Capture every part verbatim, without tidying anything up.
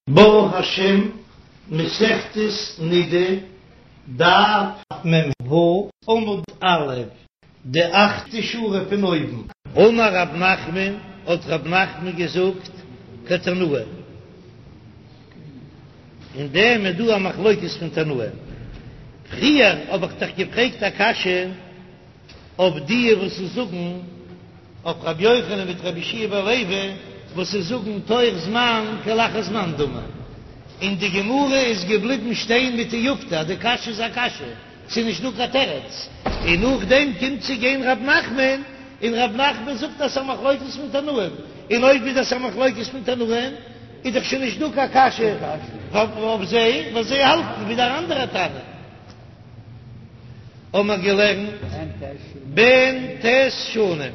ברוך השם, מסכת נידה, דף מ"ו, עמוד א', די אכטע שורה פון אויבן. אמר רב נחמן, האט רב נחמן געזאגט, כתנאי. אין דעם איז דא א מחלוקת פון תנאים. פריער האב איך דיך געפרעגט א קשיא. אויף די וואס זאגן אויף רבי יוחנן מיט רבי יהושע בן לוי וואס זאגן תוך זמן כלאחר זמן דמי, און די גמרא איז געבליבן שטיין מיט תיובתא אז די קשיא איז א קשיא, ס'איז נישט דא קיין תירוץ, און נאכדעם קומט צו גיין רב נחמן און רב נחמן זאגט אז ס'איז א מחלוקת פון תנאים, און אויב איז דאס א מחלוקת פון תנאים איז דאך שוין נישט דא קיין קשיא אויף זיי ווייל זיי האלטן ווי דער אנדערער תנא. האבן מיר געלערנט בן ט' שנים,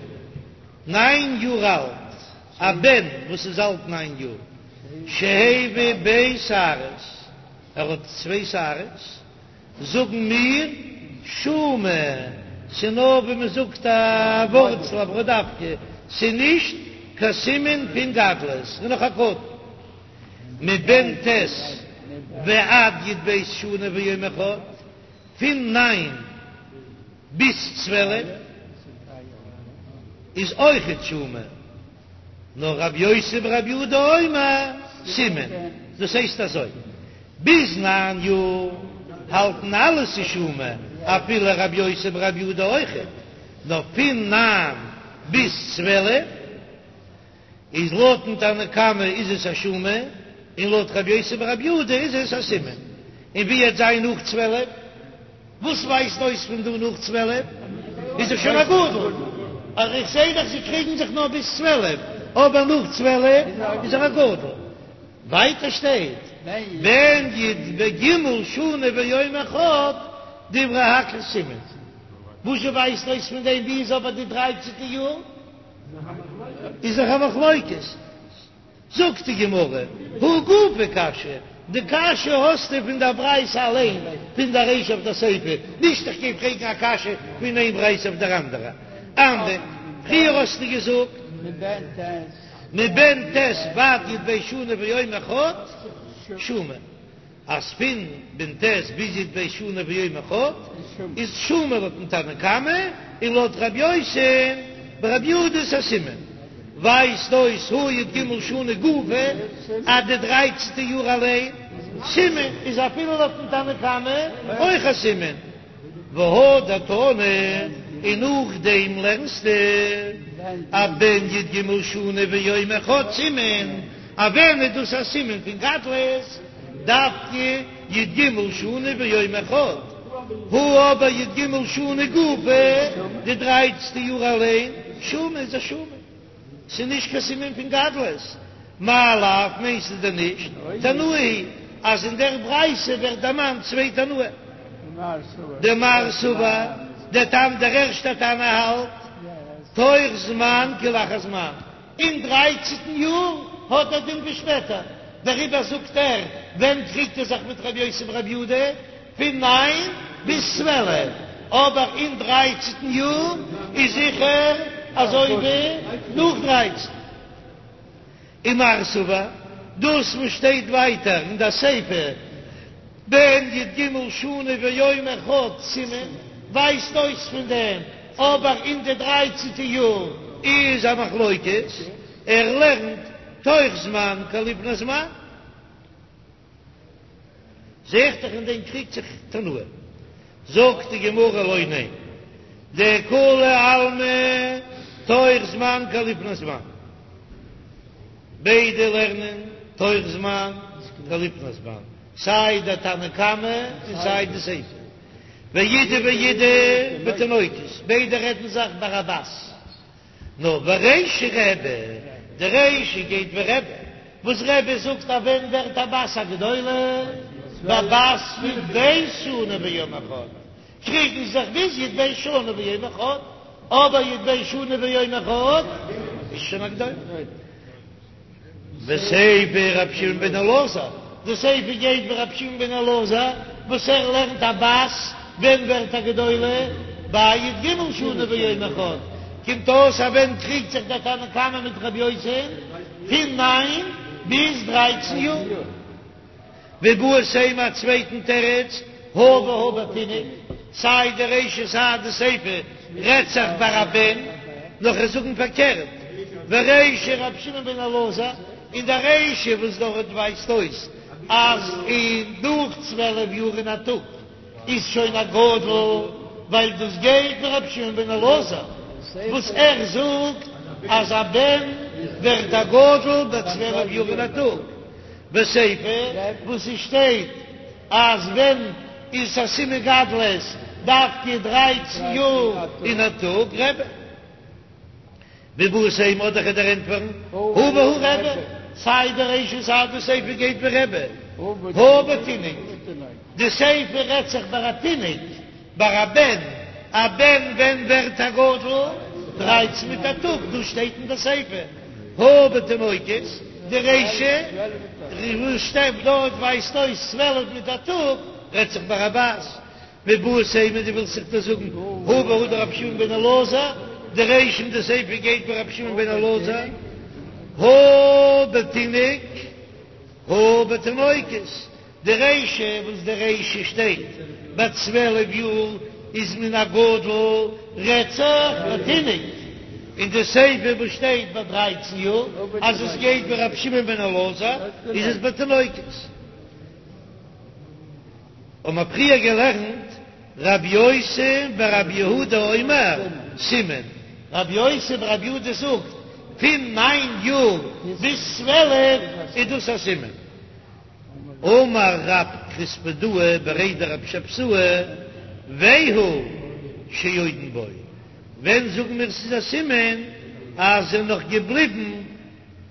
ניין יאר אלט, א בן וואס איז אלט ניין יאר, שהביא ב' שערות, ער האט צוויי שערות, זאגן מיר שומא, ס'נאר ווי מען זאגט א ווארצל א בראדאווקע, ס'נישט קיין סימן פון גדלות, ס'איז נאך א קטן. מבן ט' ועד י"ב שנה ויום אחד, פון ניין ביז צוועלף איז אויכעט שומא, נאר רבי יוסי ברבי יהודה אומר סימן, דאס הייסט אזוי, ביז ניין יאר האלטן אלע ס'איז שומא, אפילו רבי יוסי ברבי יהודה אויכעט, נאר פון ניין ביז צוועלף איז לויטן תנא קמא איז עס א שומא, און לויט רבי יוסי ברבי יהודה איז עס א סימן. און ווי וועט זיין נאך צוועלף? וואס ווייזט אויס פון דא נאך צוועלף? איז ער שוין א גדול. אבער איך זעה דאך זיי קריגן זיך נאר ביז צוועלף, אבער נאך צוועלף איז ער א גדול. ווייטער שטייט בן י"ג שנה ויום אחד דברי הכל סימן. וואזשע ווייזט אויס פון דעם ווי איז אבער די דרייצענטע יאר? איז דאך א מחלוקת. זאגט די גמרא, הא גופא קשיא, די קשיא האסטו פון דער ברייתא אליין, פון דער רישא אויף דער סיפא, נישט איך גיי פרעגן א קשיא פון איין ברייתא אויף דער אנדערע. אמרת, פריער האסטו געזאגט מבן ט' ועד י"ב שנה ויום אחד שומא. אז פון בן ט' ביז י"ב שנה ויום אחד איז שומא לויטן תנא קמא, און לויט רבי יוסי ברבי יהודה איז א סימן, ווייזט אויס הא י"ג שנה גופא אז די דרייצנטע יאר אליין סימן איז אפילו לויטן תנא קמא אויך א סימן. והדר תני, און נאכדעם לערנסטו אז בן י"ג שנה ויום אחד סימן, אז ווען איז דאס א סימן פון גדלות? דווקא י"ג שנה ויום אחד, הא אבער י"ג שנה גופא, די דרייצנטע יאר אליין, שומא איז א שומא. ס'איז נישט קיין סימן פון גדלות. מאי לאו מיינסטו דען נישט תנאי היא אז אין דער ברייתא ווערט דערמאנט צוויי תנאים? דמר סבר, דער תנא דער ערשטער תנא האלט תוך זמן כלאחר זמן, אין דרייצנטן יאר האט ער דין ווי שפעטער, דעריבער זאגט ער ווען קריגט ער זיך מיט רבי יוסי ברבי יהודה? פון ניין ביז צוועלף, אבער אין דרייצנטן יאר איז זיכער אזוי ווי נאך דרייצן. ומר סבר, דאס וואס שטייט ווייטער אין די סיפא בן י"ג שנה ויום אחד סימן, ווייזט אויס פון דעם, אבער אין די דרייצנטע יאר איז א מחלוקת, ער לערנט תוך זמן כלפני זמן. זעט זיך אין דעם קריגט זיך תנאים. זאגט די גמרא לא, ניין, דכולי עלמא תוך זמן כלפני זמן, ביידע לערנען תוך זמן כלפני זמן, סיי די תנא קמא און סיי די סיפא, ואידי ואידי בתינוקות, ביידע רעדן זיך ביי א בת. נאר ורישא רבי, די רישא גייט ווי רבי, וואס רבי זאגט אז ווען ווערט א בת א גדולה? בבת י"ב שנה ויום אחד, קריגן זיך ביז י"ב שנה ויום אחד, אבער י"ב שנה ויום אחד איז שוין א גדולה. וסיפא רבי שמעון בן אלעזר, די סיפא גייט ווי רבי שמעון בן אלעזר וואס ער לערנט א בת ווען ווערט א גדולה ביי י"ג שנה ויום אחד, קומט אויס אז ווען קריגט זיך דער תנא קמא מיט רבי יוסי? פון ניין ביז דרייצן יאר. ואיבעית אימא א צווייטן תירוץ, הא והא בתינוק, סיי די רישא סיי די סיפא רעדט זיך ביי א בן, נאר כ'וועל זאגן פארקערט, ורישא רבי שמעון בן אלעזר, און די רישא וואס דארט ווייזט אויס אז אין נאך צוועלף יאר און א טאג איז שוין א גדול, ווייל דאס גייט ווי רבי שמעון בן אלעזר וואס ער זאגט אז א בן ווערט א גדול ביי צוועלף יאר און א טאג. וסיפא וואס עס שטייט אז ווען איז א סימן גדלות דווקא דרייצן יאר און א טאג רבי ואיבעית אימא אדער כ'וועל דיר ענטפערן הא והא רבי סיי די רישא סיי די סיפא גייט ווי רבי הא בתינוק די סיפא רעדט זיך ביי א תינוק ביי א בן, א בן ווען ווערט א גדול? דרייצן מיט א טאג, דאס שטייט אין די סיפא, הא בתינוקות, די רישא וואס שטייט דארט ווייזט אויס צוועלף מיט א טאג, רעדט זיך ביי א בת, ואיבעית אימא דו ווילסט זיך דאס זאגן, הא והא דרבי שמעון בן אלעזר, די רישא און די סיפא גייט ווי רבי שמעון בן אלעזר, הא בתינוק, הא בתינוקות. די רישא וואס די רישא שטייט ביי צוועלף יאר איז מען א גדול רעדט זיך ביי תינוק, און די סיפא וואס שטייט ביי דרייצן יאר אז עס גייט ווי רבי שמעון בן אלעזר איז עס ביי תינוקות. האבן מיר פריער געלערנט רבי יוסי ברבי יהודה אומר סימן, רבי יוסי ברבי יהודה זאגט פון ניין יאר ביז צוועלף איז דאס א סימן. אמר רב כספדאה בריה דרב שבתאי, והוא שעודן בו, ווען זאגן מיר ס'איז א סימן אז זענען נאך געבליבן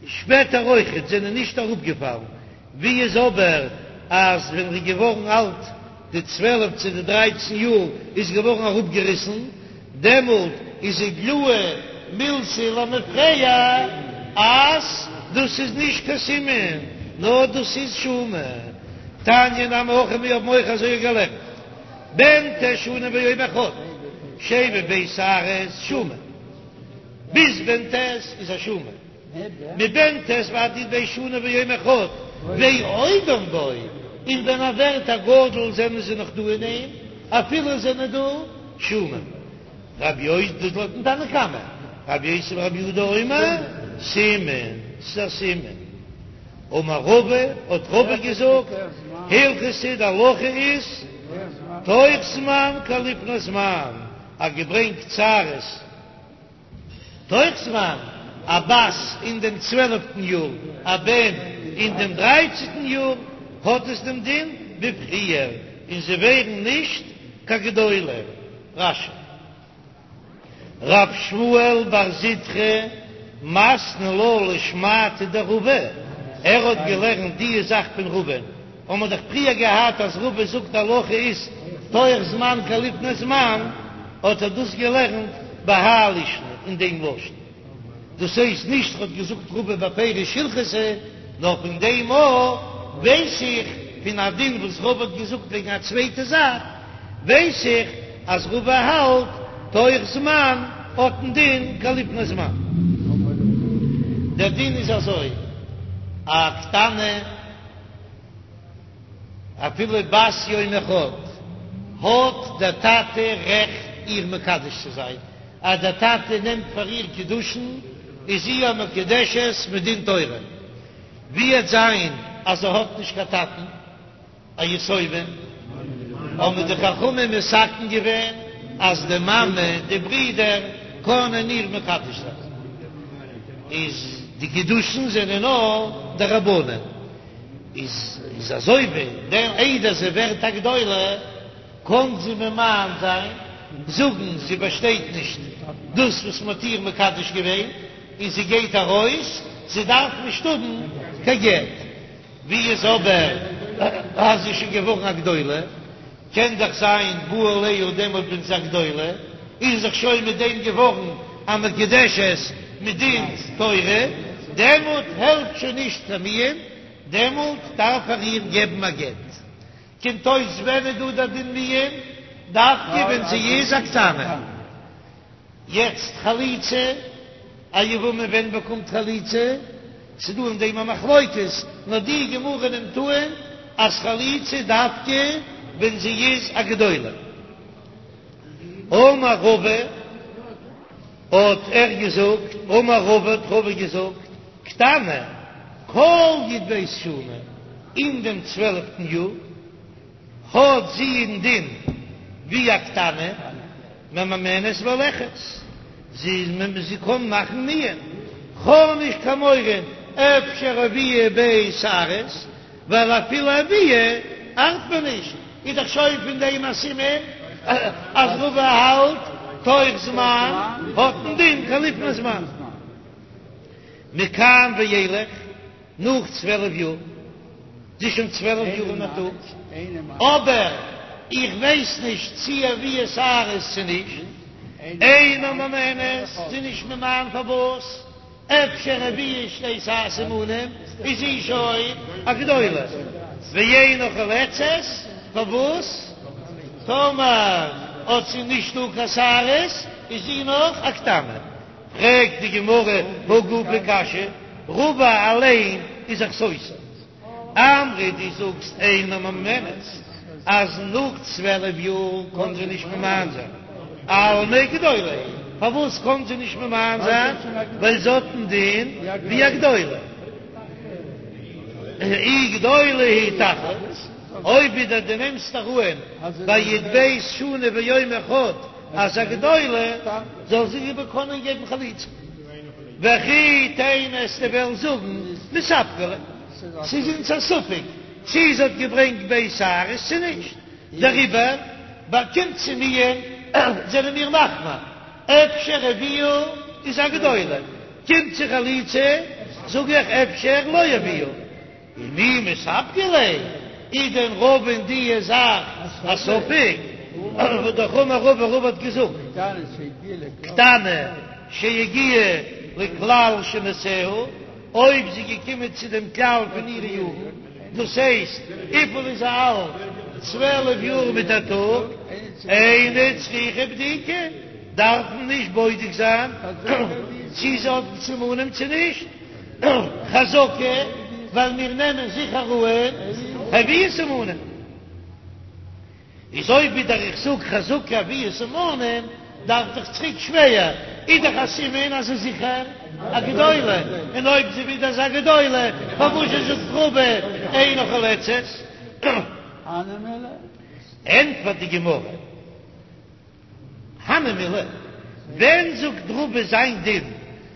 שפעטער אויכעט, זענען נישט אראפגעפאלן, ווי איז אבער אז ווען ר'איז געווארן אלט די צוועלף צו די דרייצן יאר איז געווארן אראפגעריסן, דעמאלט איז איגלאי מילתא למפרע אז דאס איז נישט קיין סימן נאר דאס איז שומא. תניא נמי הכי מיר האבן אויך אזוי געלערנט בן ט' שנים ויום אחד שהביא ב' שערות שומא ביז בן ט' איז א שומא. מבן ט' ועד י"ב שנה ויום אחד ועודן בו, און ווען ער ווערט א גדול זענען זיי נאך דא אין אים, אפילו זענען דא שומא. רבי יוסי דאס לויטן תנא קמא, רבי יוסי ברבי יהודה אומר סימן, ס'איז א סימן. אמר רבא, האט רבא געזאגט, הלכתא די הלכה איז תוך זמן כלפני זמן, אז געברענגט שערות. תוך זמן, א בת אין דעם צוועלפטן יאר, א בן אין דעם דרייצנטן יאר, האט עס דעם דין ווי פריער, און זיי ווערן נישט קיין גדולים. רש"י. רב שמואל בר זוטרא מתני לה לשמעתיה דרבא, ער האט געלערנט די זאך פון רבא'ן. האבן מיר דאך פריער געהאט אז רבא זאגט הלכה איז תוך זמן כלפני זמן, האט ער דאס געלערנט בהאי לישנא אין דעם לשון, דאס הייסט נישט ער האט געזאגט רבא בפירוש הלכתא, נאר פון דעם אויך ווייס איך פון א דין וואס רבא האט געזאגט וועגן א צווייטע זאך, ווייס איך אז רבא האלט תוך זמן האט דעם דין כלפני זמן. דער דין איז אזוי, א קטנה. אפילו בת יום אחד האט דער טאטע רעכט איר מקדש צו זיין, אז דער טאטע נעמט פאר איר קידושין איז זי א מקודשת מדין תורה, ווי עט זיין אז זי האט נישט קיין טאטן, א יתומה, האבן די חכמים מתקן געווען אז די מאמע, די ברידער קענען איר מקדש זיין, איז די קידושין זענען נאר דרבנן. איז איז אזוי ווי דער איידער זי ווערט א גדולה קען זי ממאן זיין, זאגן זי באשטייט נישט דאס וואס מ'האט איר מקדש געווען און זי גייט ארויס, זי דארף נישט האבן קיין גט. ווי איז אבער אז זי איז שוין געווארן א גדולה, קען דאך זיין בא עליה דעמאלט ווען זי איז א גדולה, איז זיך שוין מיט דעם געווארן א מקודשת מדין תורה, דעמאלט העלפט שוין נישט קיין מיאון, דעמאלט דארף ער איר געבן א גט. קומט אויס ווען איז דא דער דין מיאון? דווקא ווען זי איז א קטנה. יעצט חליצה, א יבמה ווען באקומט חליצה? ס'דא אין דעם א מחלוקת, נאר די גמרא נעמט אן אז חליצה דווקא ווען זי איז א גדולה. אמר רבא, האט ער געזאגט, אמר רבא האט רבא געזאגט, קטנה, כל י"ב שנה, אין דעם צוועלפטן יאר, האט זי א דין ווי א קטנה, ממאנת והולכת, זי איז זי קען מאכן מיאון, כ'האב נישט קיין מורא אפשר הביאה ב' שערות, ווייל אפילו הביאה ארט מיר נישט, איז דאך שוין פון דעם א סימן אז רבא האלט תוך זמן האט א דין כלפני זמן. מכאן ואילך. נאך צוועלף יאר, זי איז שוין צוועלף יאר און א טאג, אבער איך ווייס נישט צי הביאה שערות צו נישט, אינה ממאנת, זי איז נישט ממאן פארוואס, אפשר הביאה שתי סימנים, איז זי שוין א גדולה, ואינה חולצת, פארוואס, טאמער האט זי נישט דא קיין שערות, איז זי נאך א קטנה. פרעגט די גמרא הא גופא קשיא, רבא אליין איז זיך סותר, אמרת דו זאגסט אינה ממאנת אז נאך צוועלף יאר קען זי נישט ממאן זיין, אלמא גדולה, פארוואס קען זי נישט ממאן זיין? ווייל זי האט א דין ווי א גדולה, אי גדולה היא תחלוץ, אויב ווידער דו נעמסט אהן ביי י"ב שנה ויום אחד אז א גדולה זאל זי איבער קענען געבן חליצה, וכי תימא וועסטו וועלן זאגן מספקא ליה, ס'איז אונז א ספק צי זי האט געברענגט ב' שערות צו נישט, דעריבער באקומט זי מיאון זענען מיר מחמיר, אפשר הביאה איז א גדולה, קומט צו חליצה זאג איך אפשר לא הביאה. ומי מספקא ליה, איז דען רבא אין די זאך א ספק? והאמר רבא, רבא האט געזאגט, קטנה שהגיעה לכלל שנותיה, אויב זי איז געקומען צו דעם כלל פון אירע יארן, דאס הייסט, וויפיל איז זי אלט? צוועלף יאר מיט א טאג, אינה צריכה בדיקה, דארף מען נישט בודק זיין צי זי האט סימנים צו נישט. חזקה, ווייל מיר נעמען זיכער אן הביאה סימנים. איז אויב ווידער איך זאג חזקה הביאה סימנים, דארף דאך צוריק שווער, איז דאך א סימן אז ס'איז זיכער א גדולה, און אויב זי ווידער איז א גדולה, פארוואס זשע זאגט רבא אינה חולצת? ענטפערט די גמרא. הני מילי, ווען זאגט רבא זיין דין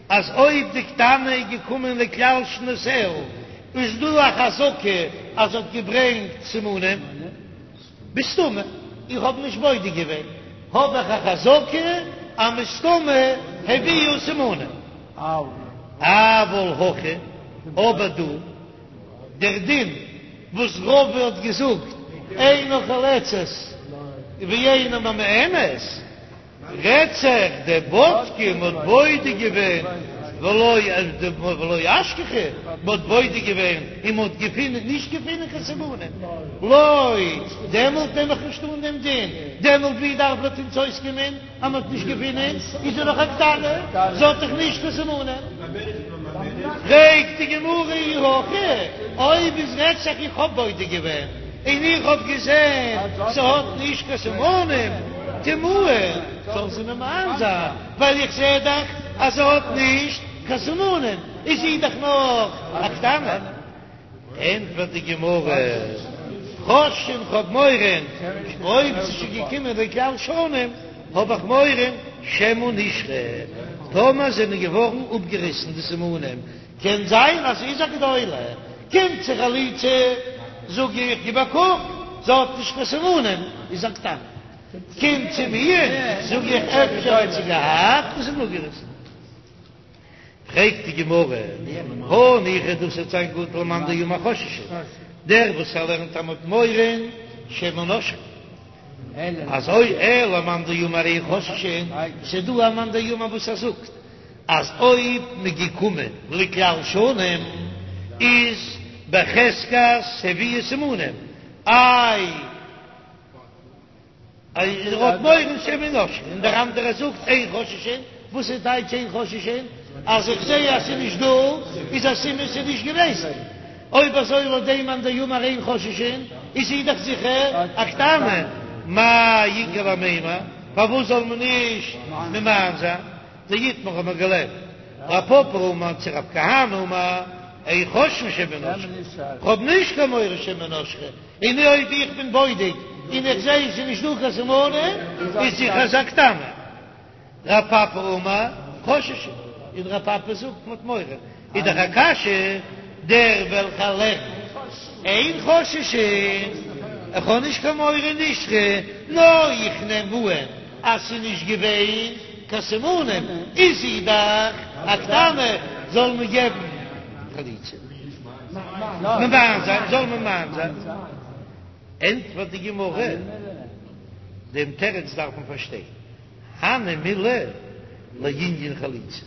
אז אויב די קטנה איז געקומען לכלל שנותיה איז דא א חזקה אז זי האט געברענגט סימנים? בסתמא, איך האב נישט בודק געווען, האב איך א חזקה אז מסתמא הביאה סימנים. אבל הכא, אבער דא. דער דין וואס רבא האט געזאגט אינה חולצת ואינה ממאנת, רעדט זיך דבדקה מ'האט בודק געווען ולא ולא אשכחה, מ'האט בודק געווען און מ'האט געפינען נישט געפינען קיין סימנים, לא, דעמאלט נעם איך נישט אן דעם דין, דעמאלט ווי דארף לויט אונז אויסקומען? אז מ'האט נישט געפונען איז זי נאך א קטנה, זי האט דאך נישט קיין סימנים. פרעגט די גמרא אי הכי, אויב איז רעדט זיך איך האב בודק געווען און איך האב געזען ס'האט נישט קיין סימנים, תימהן, זאל זי ממאן זיין, ווייל איך זע דאך אז זי האט נישט קיין סימנים, איז זי דאך נאך א קטנה. ענטפערט די גמרא, חוששין כ'האב מורא, אויב ס'איז שוין געקומען לכלל שנים, האב איך מורא שמא נשרו, טאמער זענען געווארן אפגעריסן די סימנים, קען זיין אז ס'איז א גדולה, קומט צו חליצה, זאג איך, גיב א קוק, זי האט נישט קיין סימנים, איז א קטנה, קומט צו מיאון, זאג איך, אפשר האט זי געהאט און ס'איז אפגעריסן. פרעגט די גמרא, הניחא דאס וועט זיין גוט למאן דאמר חוששין, דער וואס ער לערנט אז מ'האט מורא שמא נשרו, אזוי אלא למאן דאמר אין חוששין, ס'איז דא א מאן דאמר וואס ער זאגט אז אויב מ'איז געקומען לכלל שנים איז בחזקת הביאה סימנים, איי. ער האט מורא שמא נשרו, און דער אנדערער זאגט אין חוששין, וואס איז טייטש אין חוששין? אז איך זעה אז ס'איז נישט דא איז א סימן ס'איז נישט געוועזן, אויב אזוי לויט דעם מאן דאמר אין חוששין איז זי דאך זיכער א קטנה, מאי איכא למימר, פארוואס זאל מען נישט ממאן זיין? דאיתמר האט מען געלערנט רב פפא אמר צו רב כהנא אמר אין חוששין שמא נשרה, כ'האב נישט קיין מורא שמא נשרה, און אויב איך בין בודק און איך זעה ס'איז נישט דא קיין סימנים איז זיכער ס'איז א קטנה. רב פפא אמר חוששין, און רב פפא זאגט מ'האט מורא, איז דאך א קשיא דער וועלכער לערנט אין חוששין, איך האב נישט קיין מורא נשרה, נאר איך נעם אן אז ס'איז נישט געווען קיין סימנים, איז זי דאך א קטנה, זאל מען געבן חליצה, ממאן זיין, זאל ממאן זיין. ענטפערט די גמרא, דעם תירוץ דארף מען פארשטיין. הני מילי לענין חליצה,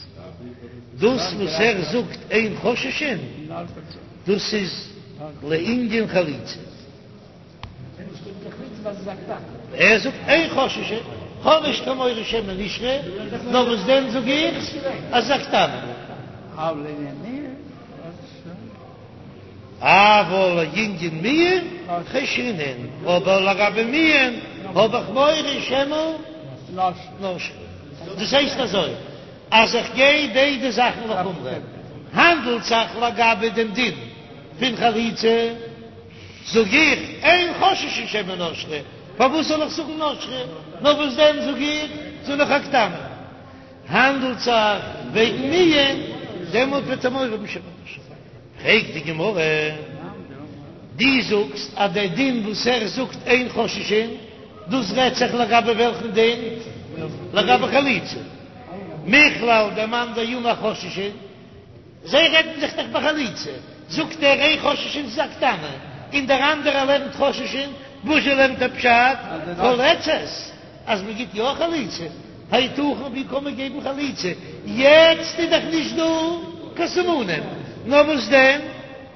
דאס וואס ער זאגט אין חוששין, דאס איז לענין חליצה. ער זאגט אין חוששין, כ'האב נישט קיין מורא שמא נשרה, נאר וואס דען זאג איך אז ס'איז א קטנה. אבל לענין מיאון חיישינן, אבער לגבי מיאון האב איך מורא שמא נשרה. דאס הייסט אזוי, אז איך גיי ביידע זאכן לחומרא, האנדלט זיך לגבי דעם דין פון חליצה, זאג איך אין חוששין שמא נשרה, פארוואס זאל איך זאגן נשרה, נאר וואס דען זאג איך, ס'איז נאך א קטנה. האנדלט זיך וועגן מיאון, דעמאלט וועט ער מורא האבן שמא נשרה. פרעגט די גמרא, דו זאגסט אז דער דין וואס ער זאגט אין חוששין, דאס רעדט זיך לגבי וועלכן דין? לגבי חליצה. מכלל דמאן דאמר חוששין, זיי רעדן זיך דאך ביי חליצה, זאגט ער אין חוששין ס'איז א קטנה, און דער אנדערער לערנט חוששין, וואזשע לערנט ער פשט? חולצת, אז מען גיט יא חליצה, היתכן ווי קען מען געבן חליצה, יעצט איז דאך נישט דא קיין סימנים, נאר וואס דען,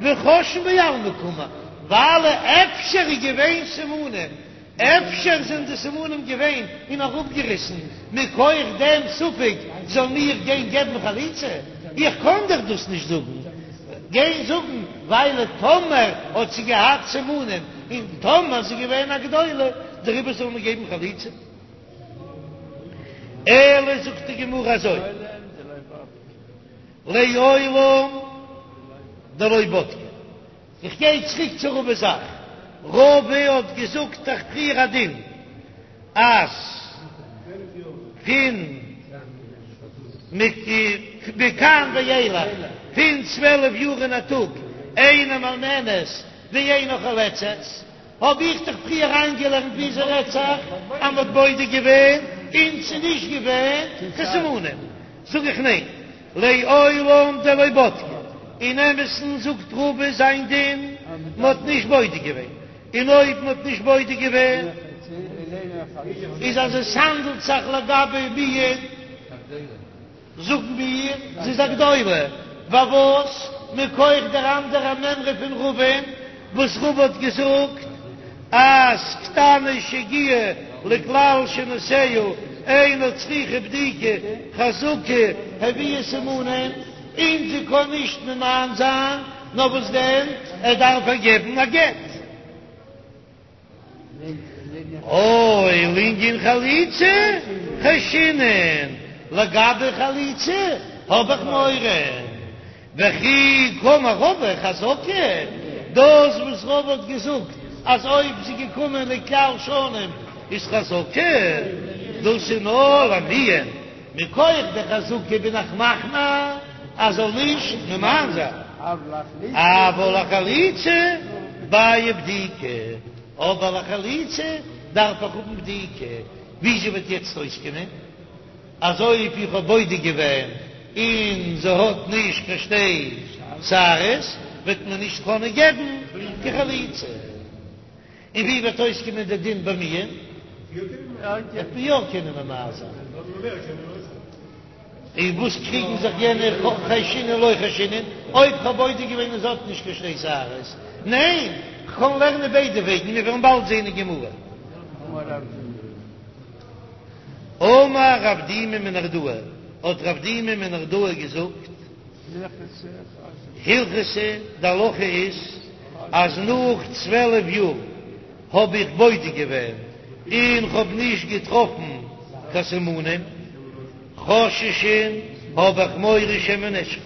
וחוששין בעלמא קאמר, ווייל אפשר איז געווען סימנים, אפשר זענען די סימנים געווען און אראפגעריסן, מכח דעם ספק זאל מיר גיין געבן חליצה? איך קען דאך דאס נישט זאגן, גיין זאגן ווייל טאמער האט זי געהאט סימנים און טאמער זי געווען א גדולה דעריבער זאל מען געבן חליצה? אלא זאגט די גמרא אזוי, לעולם דלא בדקה. איך גיי צוריק צו רבא'ס זאך, רבא האט געזאגט דאך פריער א דין אז פון מכאן ואילך פון צוועלף יאר און א טאג אינה מאלמנת ואינה חולצת, האב איך דאך פריער אריינגעלערנט ווי ס'רעדט זיך אז מ'האט בודק געווען און ס'איז נישט געווען קיין סימנים, זאג איך ניין, לעולם דלא בדקה, אין אמת'ן זאגט רבא זיין דין מ'האט נישט בודק געווען, און אויב מ'האט נישט בודק געווען איז אז עס האנדלט זיך לגבי מיאון. זאגן מיר, זי איז א גדולה, פארוואס? מכח דער אנדערע מימרא פון רבא'ן, וואס רבא האט געזאגט אז קטנה שהגיעה לכלל שנותיה אינה צריכה בדיקה חזקה הביאה סימנים, און זי קען נישט ממאן זיין, נאר וואס דען, ער דארף איר געבן א גט. אוי, לענין חליצה חיישינן, לגבי חליצה האב איך מורא, וכי קאמר רבא חזקה, דאס וואס רבא האט געזאגט אז אויב זי געקומען לכלל שנים איז חזקה, דאס איז נאר למיאון, מכח די חזקה בין איך מחמיר אז זאל נישט ממאן זיין, אבל לחליצה בעיא בדיקה, אבער לחליצה דארף איך האבן בדיקה, וויאזוי וועט יעצט אויסקומען אז אויב איך האב בודק געווען און זי האט נישט קיין שתי שערות וועט מען נישט קענען געבן קיין חליצה? און ווי וועט אויסקומען די דין ביי מיאון? וועט מען יא קענען ממאן זיין. און וואס קריגן זיך יענע חיישינן לא חיישינן? אויב כ'האב בודק געווען און זי האט נישט קיין שתי שערות? ניין, כ'קען לערנען ביידע וועגן, מיר וועלן באלד זען אין גמרא. אמר רב דימי מנהרדעא. האט רב דימי מנהרדעא געזאגט, הלכתא, די הלכה איז אז נאך צוועלף יאר האב איך בודק געווען און כ'האב נישט געטראפן קיין סימנים, חוששין האב איך מורא שמא נשרו,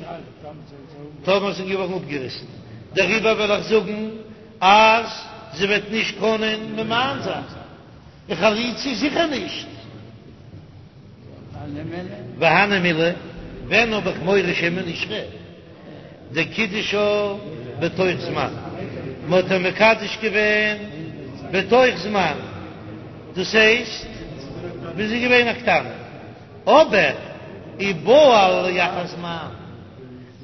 טאמער זענען געווארן אפגעריסן, דעריבער וועל איך זאגן אז זי וועט נישט קענען ממאן זיין, און חליצה זיכער נישט. והני מילי, ווען האב איך מורא שמא נשרו? דקידשה בתוך זמן, מען האט איר מקדש געווען בתוך זמן, דאס הייסט ווען זי איז געווען א קטנה, אבער ובעל לאחר זמן.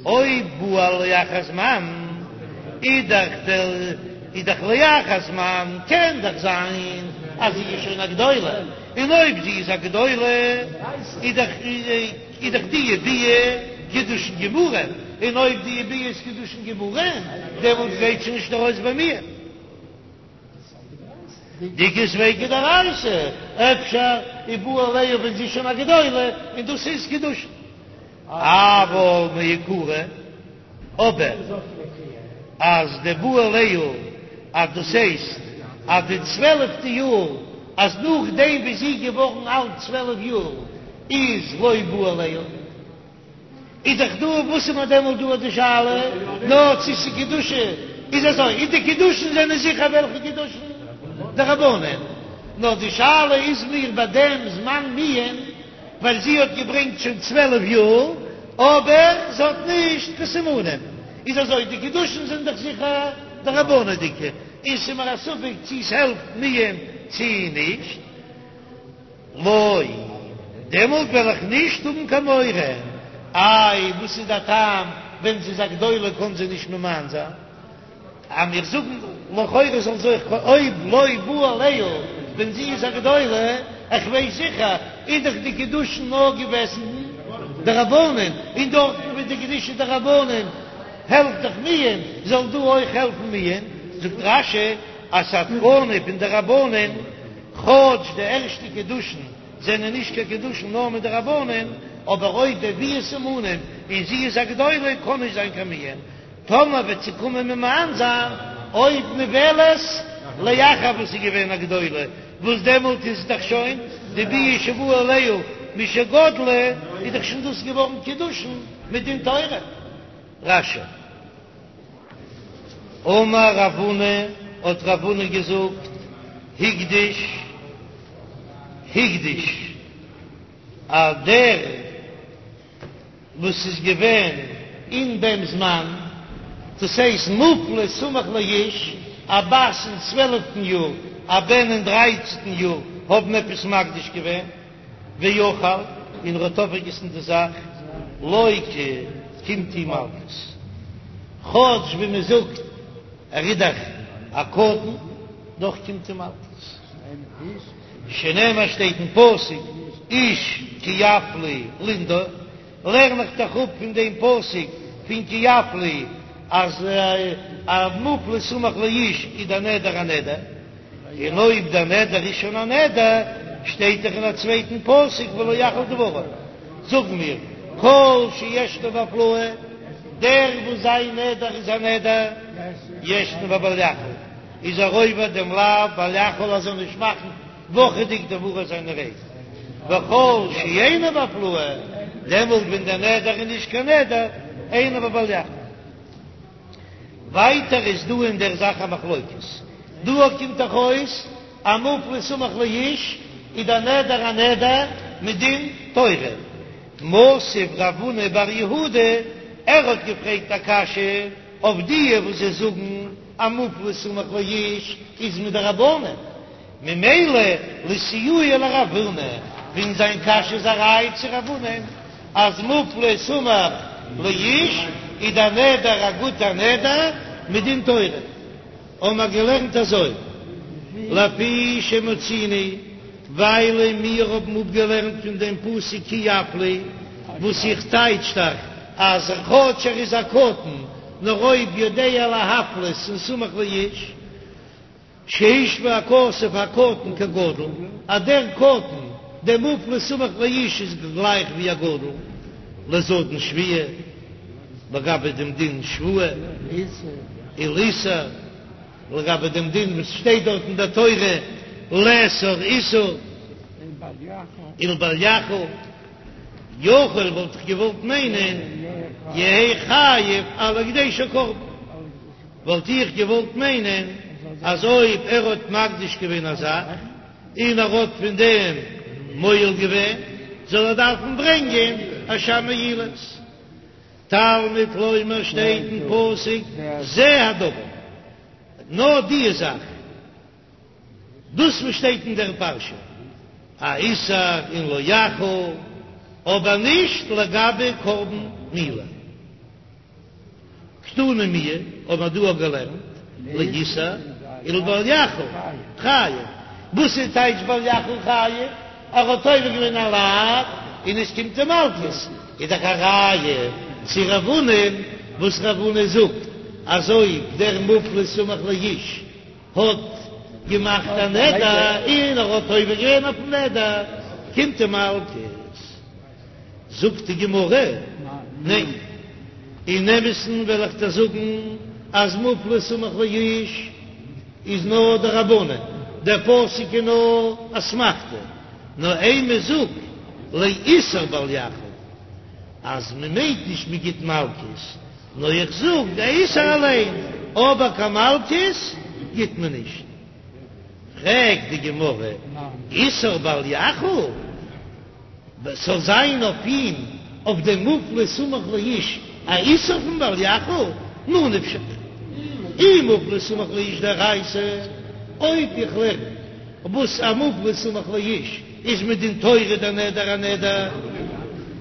אויב בעל לאחר זמן איז דאך דער איז דאך לאחר זמן קען דאך זיין אז זי איז שוין א גדולה, און אויב זי איז א גדולה איז דאך איז דאך די ביאה קידושין גמורים, און אויב די ביאה איז קידושין גמורים דעמאלט גייט זי נישט ארויס ביי מיר. דאיכא ספיקא דאורייתא, אפשר איז בא עליה ווען זי איז שוין א גדולה און דאס איז קידושין. אבל מעיקרא, אבער אז דבא עליה אז דאס הייסט אז די צוועלפטע יאר אז נאכדעם ווי זי איז געווארן אלט צוועלף יאר איז לא בא עליה, איז דאך דא וואס איז מיר דעמאלט דא די שאלה נאר צו ס'איז קידושין, איז אזוי איז די קידושין זענען זיכער וועלכע קידושין? דרבנן, נאר די שאלה איז מיר ביי דעם זמן מיאון ווייל זי האט געברענגט שוין צוועלף יאר, אבער זי האט נישט קיין סימנים, איז אזוי, די קידושין זענען דאך זיכער דרבנן'דיגע, און ס'איז מיר א ספק צי ס'העלפט מיאון צי נישט, לא, דעמאלט וועל איך נישט האבן קיין מורא, איי וואס איז דער טעם, ווען זי איז א גדולה קען זי נישט ממאן זיין? אז מיר זאגן לכאורה זאל זי אויך אויב לא בא עליה ווען זי איז א גדולה, איך ווייס זיכער, איז דאך די קידושין נאר געוועזן דרבנן, און דארטן ווי די קידושין דרבנן העלפט דאך מיאון, זאל דא אויך העלפן מיאון, זאגט רש"י אז ס'א תקנה פון די רבנן, כאטש די ערשטע קידושין זענען נישט קיין קידושין נאר מדרבנן, אבער אויב הביאה סימנים און זי איז א גדולה קען נישט זיין קיין מיאון. טאמער וועט זי קומען ממאן זיין אויב נבעלת לאחר וואס איז געווען א גדולה, וואס דעמאלט איז דאך שוין די ביאה שבא עליה משגדלה, איז דאך שוין דאס געווארן קידושין מדין תורה. רש"י. אמר רב הונא, האט רב הונא געזאגט, הקדיש, הקדיש, אז דער. וואס איז געווען אין דעם זמן, דאס הייסט מופלא סמוך לאיש, א בת אין צוועלפטן יאר, א בן אין דרייצנטן יאר, האבן עפעס מקדיש געווען, ואכל, און ער האט אויפגעגעסן די זאך, לוקה, קומט אים מלקות, כאטש ווי מען זאגט ער איז דאך א קטן, דאך קומט אים מלקות. שנאמר שטייט אין פסוק איש כי יפליא לנדור, לערן איך דאך אפ פון דעם פסוק פון כי יפליא אז א מופלא סמוך לאיש איז דער נדר א נדר, און אויב דער נדר איז שוין א נדר שטייט דאך אין א צווייטן פסוק ולא יחל דברו, זאגן מיר כל שישנו בהפלאה, דער וואס זיין נדר איז א נדר ישנו בבל יחל. איז ער עובר דעם לאו בל יחל אז ער זאל נישט מאכן וואכעדיג דברו זיינע רייד, וכל שאינו בהפלאה, דעמאלט ווען דער נדר איז נישט קיין נדר, אינו בבל יחל. ווייטער איז דא אין דער זאך א מחלוקת, דא קומט דאך אויס אז מופלא סמוך לאיש איז דער נדר א נדר מדין תורה, מתיב רב הונא בר יהודה, ער האט געפרעגט א קשיא אויף דיע וואס זיי זאגן אז מופלא סמוך לאיש איז מדרבנן, ממילא לסיועי לרב הונא, פון זיין קשיא איז א ראיה צו רב הונא אז מופלא סמוך לאיש איז דער נדר א גוטער נדר מדין תורה, האבן מיר געלערנט אזוי לפי שמצינו, ווייל מיר האבן אפגעלערנט פון דעם פסוק כי יפליא, וואס איך טייטש דאך אז כאטש ער איז א קטן, נאר אויב יודע להפלות און סמוך לאיש, שהשווה הכתוב הקטן כגדול, אז דער קטן דער מופלא סמוך לאיש איז גלייך ווי א גדול לזדון שבועה, לגבי דעם דין שבועה ולאיסור, לגבי דעם דין וואס שטייט דארט אין דער תורה לאסור איסור ולבל יחל, יכול וואלט איך געוואלט מיינען יהא חייב על הקדשו קרבן. וואלט איך געוואלט מיינען אז אויב ער האט מקדיש געווען א זאך און ער האט פון דעם מועל געווען זאל ער דארפן ברענגען אשם מעילות. תלמוד לומר שטייט אין פסוק זה הדבר, נאר דיע זאך, דאס וואס שטייט אין דער פרשה א איסור און לא יחל, אבער נישט לגבי קרבן מעילה. קתני מיהא האבן מיר דא אויך געלערנט לאיסור ולבל יחל חייב, וואס איז טייטש בל יחל חייב? ער האט עובר געווען א לאו און עס קומט אים מלקות, איז דאך א ראיה צו רב הונא וואס רב הונא זאגט אז אויב דער מופלא סמוך לאיש האט געמאכט א נדר און ער האט עובר געווען אויפן נדר קומט אים מלקות. זאגט די גמרא, ניין, אין אמת'ן וועל איך דיר זאגן אז מופלא סמוך לאיש איז נאר דרבנן, דער פסוק איז נאר אסמכתא, נאר אימא זאג לאיסור בל יחל, אז מען מיינט נישט מען גיט מלקות, נאר איך זאג דער איסור אליין, אבער קיין מלקות גיט מען נישט. פרעגט די גמרא, איסור בל יחל? ס'זאל זיין אויף אים, אויף דעם מופלא סמוך לאיש, א איסור פון בל יחל? ממה נפשך, אי מופלא סמוך לאיש דאורייתא, אויב איך לערן וואס א מופלא סמוך לאיש איז מדין תורה דער נדר א נדר,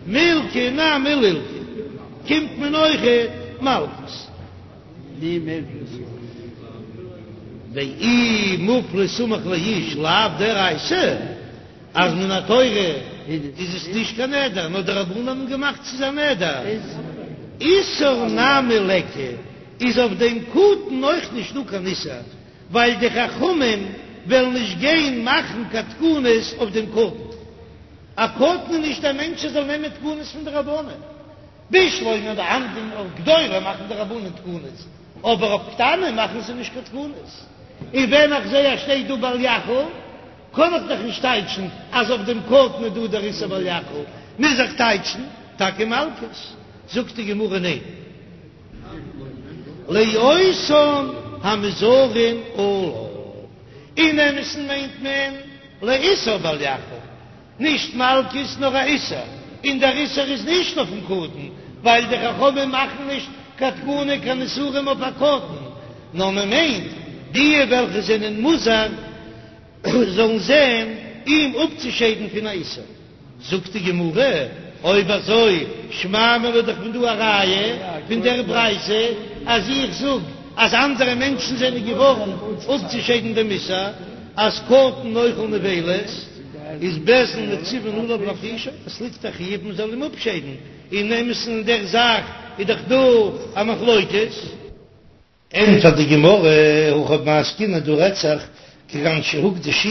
מילקא נמי לילקא, קומט מען אויכעט מלקות. ואי מופלא סמוך לאיש לאו דאורייתא. אז מן התורה איז עס נישט קיין נדר, נאר די רבנן האבן געמאכט ס'איז א נדר. איסור נמי ליכא, איז אויף דעם קטן אויך נישט דא קיין איסור, ווייל די חכמים וועלן נישט גיין מאכן קיין תקנות אויף דעם קטן. א קטן איז נישט א מענטש ער זאל נעמען תקנות פון די רבנן. בשלמא ביי אנדערע אויף גדולים מאכן די רבנן תקנות, אבער אויף קטנים מאכן זיי נישט קיין תקנות. און ווען איך זעה אז שטייט דא בל יחל, קען איך דאך נישט טייטשן אז אויף דעם קטן איז דא דער איסור בל יחל, מוז איך טייטשן טאקע מלקות. זאגט די גמרא ניין, לאותן המוזהרין עליו, אין אמת'ן מיינט מען לאיסור בל יחל, נישט מלקות נאר א איסור, און דער איסור איז נישט אויפן קטן, ווייל די חכמים מאכן נישט קיין תקנה קיין איסורים אויף א קטן, נאר מען מיינט די וועלכע זענען מוזהר זאלן זען אים אפצושיידן פון א איסור. זאגט די גמרא, אויב אזוי שמע מינה איז דאך פון דא א ראיה פון דער ברייתא אז איך זאג אז אנדערע מענטשן זענען געווארן אפצושיידן דעם איסור, אז קטן אוכל נבילות איז בית דין מצווין עליו להפרישו, עס ליגט א חיוב מען זאל אים אפשיידן, אין אמת'ן אין דער זאך איז דאך דא א מחלוקת. ענטפערט די גמרא, הכא במאי עסקינן דא רעדט זיך כגון שהוקדשו,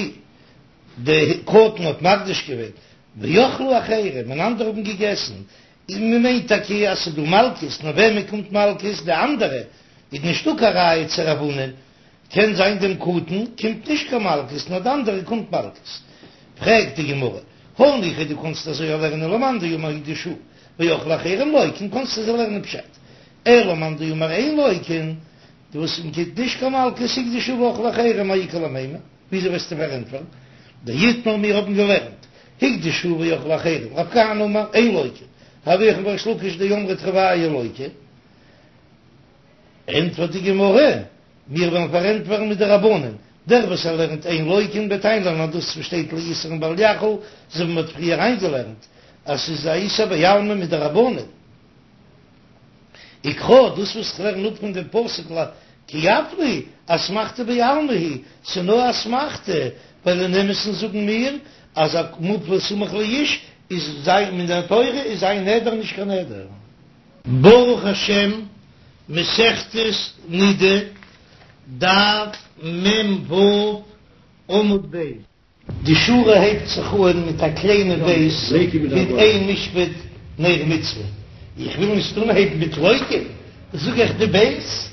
די קטן האט מקדיש געווען, ואכלו אחרים, און אנדערע האבן געגעסן, און מען מיינט טאקע אז ס'איז דא מלקות, נאר וועמען קומט מלקות? די אנדערע, איז נישטא קיין ראיה צו רב הונא'ן, קען זיין דעם קטן קומט נישט קיין מלקות נאר די אנדערע קומט מלקות. פרעגט די גמרא, הניחא דו קאנסט אזוי לערנען למאן דאמר הוקדשו ואכלו אחרים לוקין קאנסט אזוי לערנען פשט, אלא למאן דאמר אין לוקין, די וואס מען גיט נישט קיין מלקות הוקדשו ואכלו אחרים מאי איכא למימר, וויאזוי וועסטו פארענטפערן דאיתמר מיר האבן געלערנט הוקדשו ואכלו אחרים רב כהנא אמר אין לוקין רבי יוחנן וריש לקיש דאמרי תרוייהו לוקין ענטפערט די גמרא מיר וועלן פארענטפערן מיט די רבנן, דער וואס ער לערנט אין לוקין וועט איינלערנען אז דאס וואס שטייט לאיסור און בל יחל, אזוי ווי מען האט פריער איינגעלערנט אז ס'איז א איסור בעלמא מדרבנן. וקרא, דאס וואס איך לערן אפ פון דעם פסוק כי יפליא, אסמכתא בעלמא היא, ס'איז נאר אסמכתא, ווייל אין אמת'ן זאגן מיר אז א מופלא סמוך לאיש איז זיין מן התורה איז זיין נדר נישט קיין נדר. ברוך השם, מסכת נידה, דף מ"ו, עמוד ב'. די שורה הייבט זיך אן מיט א קליינע בית פון אין משפט נר מצוה, איך וויל נישט אנהייבן מיט לוקין, זאג איך די בית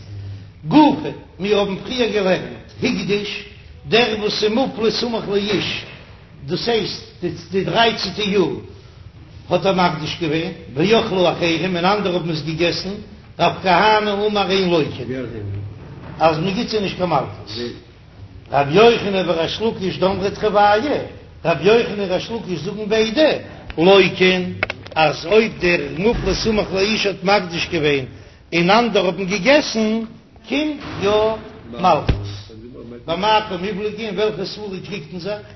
גופא, מיר האבן פריער געלערנט הקדיש, דער וואס איז מופלא סמוך לאיש, דאס הייסט די דרייצענטע יאר האט ער מקדיש געווען, ואכלו אחרים און אנדערע האבן עס געגעסן, רב כהנא אמר אין לוקין, אז מען גיט זיי נישט קיין מלקות. רבי יוחנן וריש לקיש דאמרי תרוייהו, רבי יוחנן און ריש לקיש זאגן ביידע, לוקין, אז אויב דער מופלא סמוך לאיש האט מקדיש געווען און אנדערע האבן געגעסן, קומט יא מלקות. במאי קמיפלגי אין וועלכע סברא קריגט מען זיך?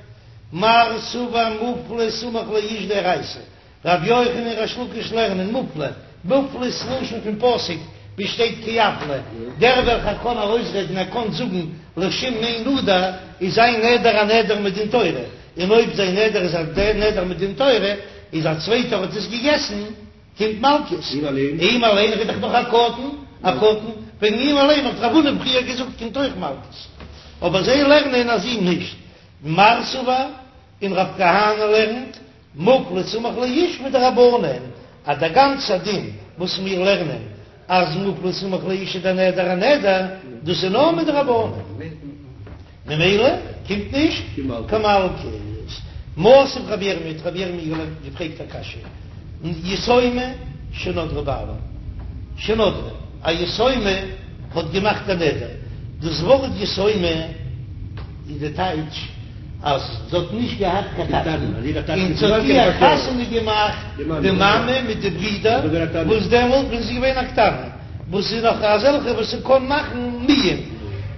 מר סבר מופלא סמוך לאיש דאורייתא, רבי יוחנן און ריש לקיש לערנען מופלא, מופלא איז לשון פון פסוק ווי שטייט כי יפלא, דער וועלכער קען ארויסרעדן ער קען זאגן לשום מי נדר איז זיין נדר א נדר מדין תורה, און אויב זיין נדר איז א נדר מדין תורה איז א צווייטער האט עס געגעסן קומט מלקות, אים אליין איז דאך נאך א קטן, א קטן, וועגן אים אליין האט רב הונא פריער געזאגט קומט אויך מלקות, אבער זיי לערנען אז אים נישט, מר סבר און רב כהנא לערנט מופלא סמוך לאיש מדרבנן, אז דער גאנצער דין וואס מיר לערנען אז מופלא סמוך לאיש איז דער נדר א נדר, דאס איז נאר מדרבנן, ממילא קומט נישט קיין מלקות. מתיב רבי ירמי' האט רבי ירמי' געפרעגט א קשיא, יתומה שנדרה בעלה, שנדרה, א יתומה האט געמאכט א נדר, דאס ווארט יתומה איז די טייטש אז זי האט נישט געהאט קיין טאטן, און ס'האט איר חתונה געמאכט די מאמע מיט די ברידער, וואס דעמאלט ווען זי איז געווען א קטנה, וואס איז נאך אזעלכע וואס ס'קען מאכן מיאון,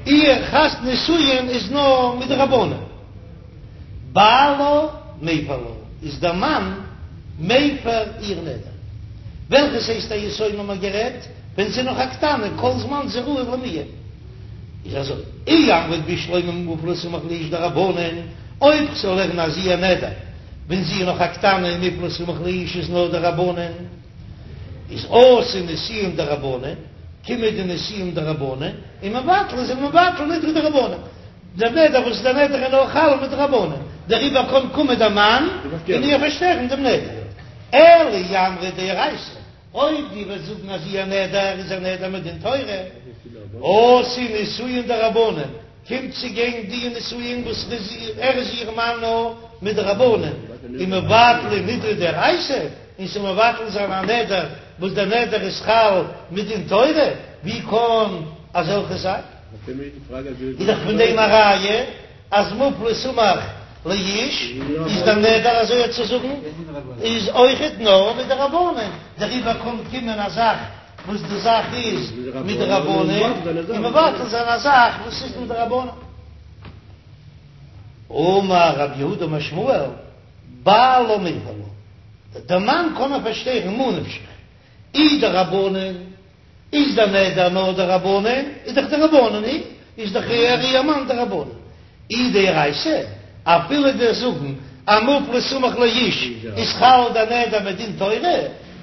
איר חתונה נישואין איז נאר מדרבנן. בעלה מפר לה, איז דער מאן מפר איר נדר. וועלכעס הייסט א יתומה האט מען גערעדט ווען זי איז נאך א קטנה, כל זמן זי ראוי למיאון. איז אזוי, אי אמרת בשלמא מופלא סמוך לאיש דרבנן, אויב כ'זאל לערנען אז איר נדר ווען זי איז נאך א קטנה און מופלא סמוך לאיש איז נאר דרבנן, איז אתו נישואין דרבנן, קומען די נישואין דרבנן, און מבטלי זענען מבטל נדרי דרבנן. דער נדר וואס דער נדר איז נאר חל מדרבנן, דעריבער קען קומען דער מאן און איר פארשטערן דעם נדר. אלא אי אמרת דאורייתא, אויב דו וועסט זאגן אז איר נדר איז א נדר מדין תורה, אתו נישואין דרבנן, קומט צו גיין די נישואין וואס ער איז איר מאן נאר מדרבנן, און מבטלי נדרי דאורייתא, און ס'זאל מבטל זיין א נדר וואס דער נדר איז חל מדין תורה, ווי קען אזעלכעס זיין? איז דאך פון דעם א ראיה אז מופלא סמוך לאיש איז דער נדר אזוי צו זאגן איז אויכעט נאר מדרבנן, דעריבער קען קומען א זאך וואס די זאך איז מדרבנן און מבטל זיין א זאך וואס איז מדרבנן. אמר רב יהודה אמר שמואל, בעלה מפר לה, דער מאן קען איר פארשטערן ממה נפשך, אי דרבנן איז דער נדר נאר דרבנן, איז דאך דרבנן היא, איז דאך ער איר מאן דרבנן. אי דאורייתא, אפילו דו'סט זאגן אז מופלא סמוך לאיש איז חל דער נדר מדין תורה,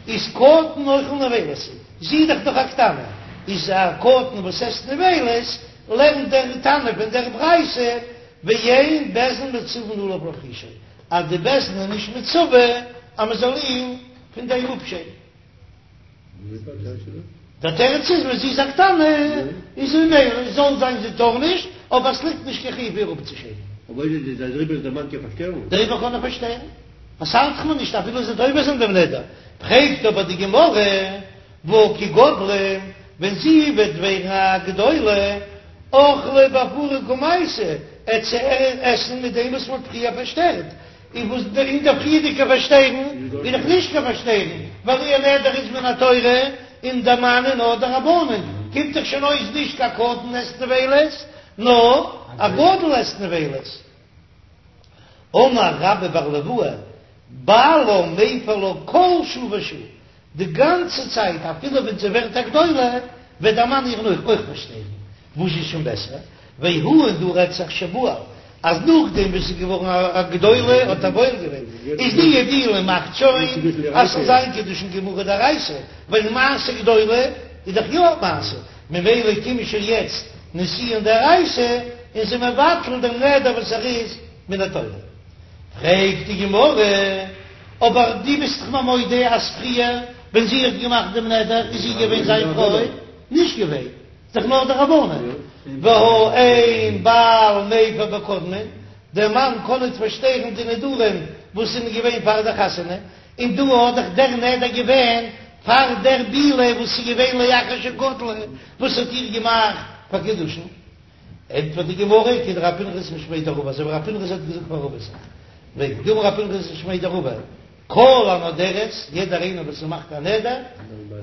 איז קטן אוכל נבילות, זי איז דאך נאך א קטנה, איז א קטן וואס עסט נבילות, לערנט דער תנא פון דער ברייתא, ואין בית דין מצווין עליו להפרישו, אז די בית דין איז נישט מצווה אז מען זאל אים פון דעם אפשיידן. דער תירוץ איז ווען זי איז א קטנה איז זי ממילא זאל זיין זי טאר נישט, אבער עס ליגט נישט קיין חיוב איר אפצושיידן. אויב איז דער דעריבער איז דער מאן קען פארשטערן. דעריבער קען ער פארשטערן. עס ארט זיך מיר נישט אפילו זי וועט עובר זיין דעם נדר. פרעגט אבער די גמרא, והא כי גדלה, ווען זי וועט ווערן א גדולה, אכלה בהפרה קמייתא, עט זי עסן מיט דעם וואס מען האט פריער פארשטערט, און וואס אין דער פריערדיגע פארשטערן איז דאך נישט קיין פארשטערן, ווייל איר נדר איז מן התורה און דער מאן איז נאר דרבנן, קומט דאך שוין אויס נישט קיין קטן עסט נבילות, נאר א גדול עסט נבילות. אמר רבה בר ליואי, בעלה מפר לה כל שעה ושעה, די גאנצע צייט אפילו ווען זי ווערט א גדולה וועט דער מאן איר אויך פארשטערן, וואס איז שוין בעסער, והא און דא רעדט זיך שבעל אז נאכדעם וואס זי איז געווארן א גדולה האט ער בועל געווען, איז די בעילה מאכט שוין אז ס'זאל זיין קידושין גמורה דאורייתא, ווייל מעשה גדולה איז דאך יא מעשה, ממילא קומען שוין יעצט נישואין דאורייתא און זיי מבטל דעם נדר וואס ער איז מן התורה. פרעגט די גמרא, אבער דו ביסט דאך מיר מודה אז פריער ווען זי האט געמאכט דעם נדר איז זי געווען זיין פרוי? נישט געווען, איז דאך נאר דרבנן, והא אין בעל מפר בקודמין, דער מאן קען ניט פארשטערן די נדרים וואס זענען געווען פאר דער חתונה, און דא האט דאך דער נדר געווען פאר דער בעילה וואס איז געווען לאחר שגדלה וואס האט איר געמאכט פאר קידושין. ענטפערט די גמרא, כדרב פנחס משמיה דרבא, אזוי ווי רב פנחס האט געזאגט פאר רבא וועגן דאמר רב פנחס משמיה דרבא, כל הנודרת, יעדער איינער וואס מאכט א נדר,